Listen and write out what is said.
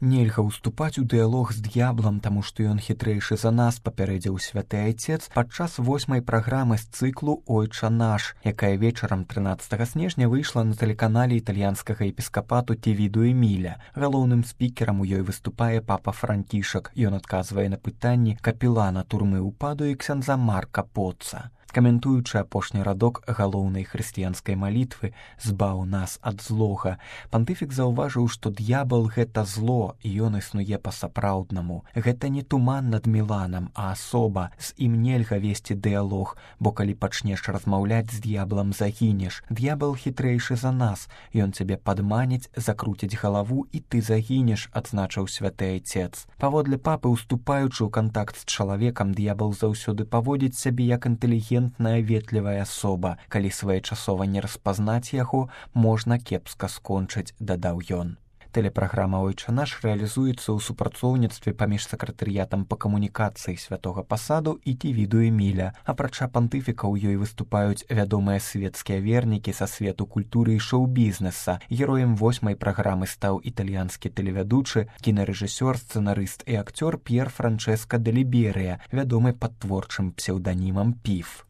Нельга ўступаць у дыялог з д'яблам, таму што ён хітрэйшы за нас, папярэдзіў святы айцец падчас 8-й праграмы з цыклу «Ойча наш», якая вечарам 13 снежня выйшла на тэлеканале італьянскага епіскапату Тевіду Эміля. Галоўным спікерам у ёй выступае папа Францішак. Ён адказвае на пытанні капелана турмы ўпаду і ксяндза Марка Поцца. Каментуючы апошні радок галоўнай хрысціянскай малітвы «Збаў нас ад злога», пантыфік заўважыў, што д'ябал — гэта зло, і ён існуе па-сапраўднаму. Гэта не туман над Міланам, а асоба. З ім нельга весці дыялог, бо калі пачнеш размаўляць з д'яблам, загінеш. Д'ябал хітрэйшы за нас. Ён цябе падманіць, закруціць галаву, і ты загінеш, адзначыў святы айцец. Паводле папы, уступаючы ў кантакт з чалавекам, д'ябал заўсёды паводзіць сябе як інтэлігент, ветлівая асоба. Калі своечасова не распазнаць яго, можна кепска скончыць, дадаў ён. Тэлепраграма «Ойча наш» рэалізуецца ў супрацоўніцтве паміж сакратарыятам па камунікацыі святога пасаду і Тевіду Эміля. Апрача пантыфіка ў ёй выступаюць вядомыя светскія вернікі са свету культуры і шоу-бізнеса. Героем 8-й праграмы стаў італьянскі тэлевядучы, кінарэжысёр, сцэнарыст і акцёр П'ер Франчэска де Ліберыя, вядомы пад творчым псеўданімам Піф.